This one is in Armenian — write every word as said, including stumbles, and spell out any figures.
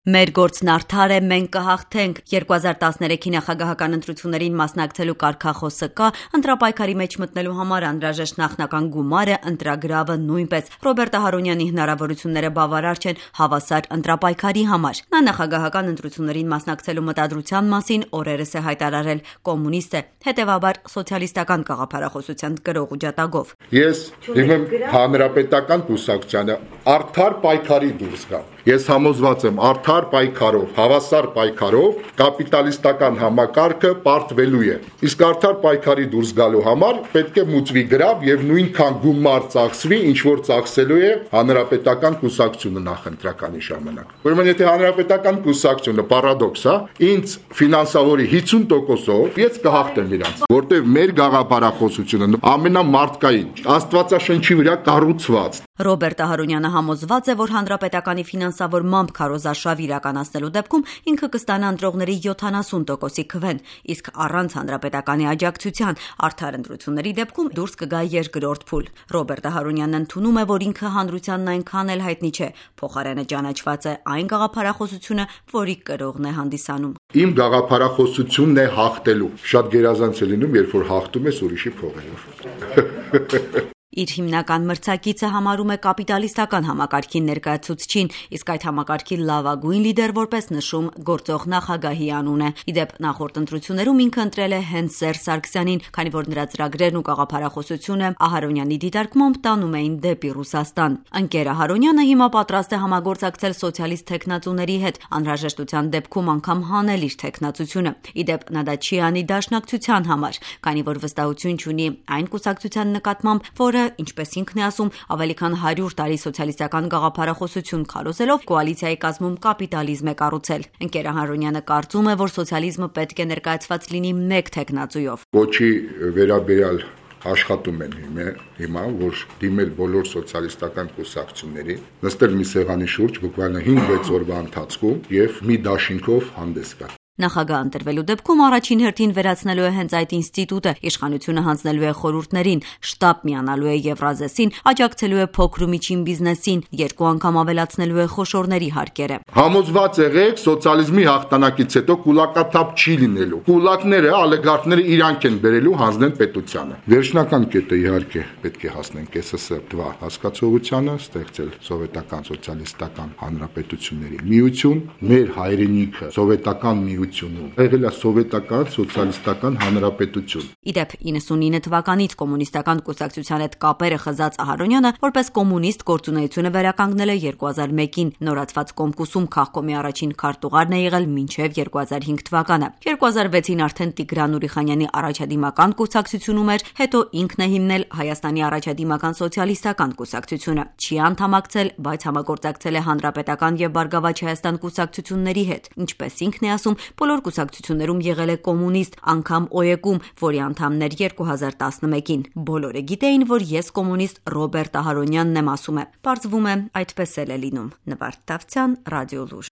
Մեր գործն արդար է, մենք կհաղթենք։ երկու հազար տասներեքի նախագահական ընտրություններին մասնակցելու կարգախոսը կա, ընտրապայքարի մեջ մտնելու համար անհրաժեշտ նախնական գումարը, ընտրագրավը նույնպես։ Ռոբերտ Ահարոնյանի հնարավորությունները բավարար չեն հավասար ընտրապայքարի համար։ Նա նախագահական ընտրություններին մասնակցելու մտադրության մասին օրերս է հայտարարել կոմունիստ է, հետևաբար սոցիալիստական գաղափարախոսության գրող ու ջատագով։ Ես դիմեմ հանրապետական կուսակցությանը արդար պայքարի դուրս գա։ Ես համոզված եմ արդար պայքարով, հավասար պայքարով կապիտալիստական համակարգը պարտվելու է։ Իսկ արդար պայքարի դուրս գալու համար պետք է մուծվի գրավ եւ նույնքան գումար ծախսվի, ինչ որ ծախսելու է հանրապետական կուսակցությունը նախընտրականի ժամանակ։ Ուրեմն եթե հանրապետական կուսակցությունը պարադոքս է, ինձ ֆինանսավորի հիսուն տոկոսով ես կհաղթեմ իրանց, որտեղ մեր գաղափարախոսությունը ամենամարտկային, Աստվածաշնչի վրա կառուցված։ Ռոբերտ Ահարոնյանը համոզված է, որ հանրապետականի ֆինանսավորմամբ քարոզարշավ իրականացնելու դեպքում ինքը կստանա ընտրողների յոթանասուն տոկոսի քվեն, իսկ առանց հանրապետականի աջակցության արդար ընտրությունների դեպքում դուրս կգա երկրորդ փուլ։ Ռոբերտ Ահարոնյանն ընդունում է, որ ինքը հանրությանն այնքան էլ հայտնի չէ, փոխարենը ճանաչված է այն գաղափարախոսությունը, որի կրողն է հանդիսանում։ Իմ գաղափարախոսությունն է հաղթելու։ Շատ գերազանց է լինում, երբ որ հաղթում ես ուրիշի փողերով։ Իր հիմնական մրցակիցը համարում է կապիտալիստական համակարգի ներկայացուցչին, իսկ այդ համակարգի լավագույն լիդեր որպես նշում գործող նախագահի անուն է։ Իդեպ նախորդ ընտրություններում ինքը ընտրել է հենց Սերժ Սարգսյանին, քանի որ նրա ծրագրերն ու գաղափարախոսությունը Ահարոնյանի դիտարկմամբ տանում էին դեպի Ռուսաստան։ Ընկեր Ահարոնյանը հիմա պատրաստ է համագործակցել սոցիալիստ թեկնածուների հետ, անհրաժեշտության դեպքում անգամ հանել իր թեկնածությունը։ Իդեպ նա դա չի անի դաշնակցության համար, քանի որ վստահություն չունի այն կուսակցության նկատմամբ, որը ինչպես ինքն է ասում, ավելի քան հարյուր տարի սոցիալիստական գաղափարախոսություն քարոզելով կոալիցիայի կազմում կապիտալիզմ է կառուցել։ Ընկեր Ահարոնյանը կարծում է, որ սոցիալիզմը պետք է ներկայացված լինի մեկ թեկնածուով։ Ոչի վերաբերյալ աշխատում են հիմա, որ դիմել բոլոր սոցիալիստական կուսակցությունների, նստել մի սեղանի շուրջ բուկվալը հինգ-վեց օրվա ընթացքում եւ մի դաշինքով հանդես գալ։ Նախագահ ընտրվելու դեպքում առաջին հերթին վերացնելու է հենց այդ ինստիտուտը, իշխանությունը հանձնելու է խորհուրդներին, շտաբ միանալու է Եվրազեսին, աջակցելու է փոքր ու միջին բիզնեսին, երկու անգամ ավելացնելու է խոշորների հարկերը։ Համոզված եղեք, սոցիալիզմի հաղթանակից հետո կուլակաթափ չի լինելու։ Կուլակները, ալիգարխները իրանք են բերելու հանձնեն պետությանը։ Վերջնական կետը իհարկե պետք է հասնենք էս էս դվա հասկացողությանը, ստեղծել սովետական սոցիալիստական հանրապետությունների միություն, մեր հայրենիքը սովետական միություն եղել է սովետական սոցիալիստական հանրապետություն։ Իդեպ իննսունինը թվականից կոմունիստական կուսակցության հետ կապերը խզած Ահարոնյանը որպես կոմունիստ գործունեությունը վերականգնել է երկու հազար մեկին, նորացված Կոմկուսում քաղկոմի առաջին քարտուղարն է եղել մինչև երկու հազար հինգ թվականը։ երկու հազար վեցին արդեն Տիգրան Ուրիխանյանի առաջադիմական կուսակցությունում էր, հետո ինքն է հիմնել Հայաստանի առաջադիմական սոցիալիստական կուսակցությունը։ Չի անդամակցել, բայց համագործակցել է Հանրապետական եւ Բարգավաճ Հայաստան կուսակցությունների հետ, ինչպես ինքն է ասում, բոլոր կուսակցություններում եղել է կոմունիստ, անգամ օ-եկում, որի անդամներ երկու հազար տասնմեկին։ Բոլորը գիտեին, որ ես կոմունիստ Ռոբերտ Ահարոնյանն եմ, ասում է։ Պարզվում է, այդպես էլ է լինում։ Նվարդ Դավթյան, Ռադիո Լուր։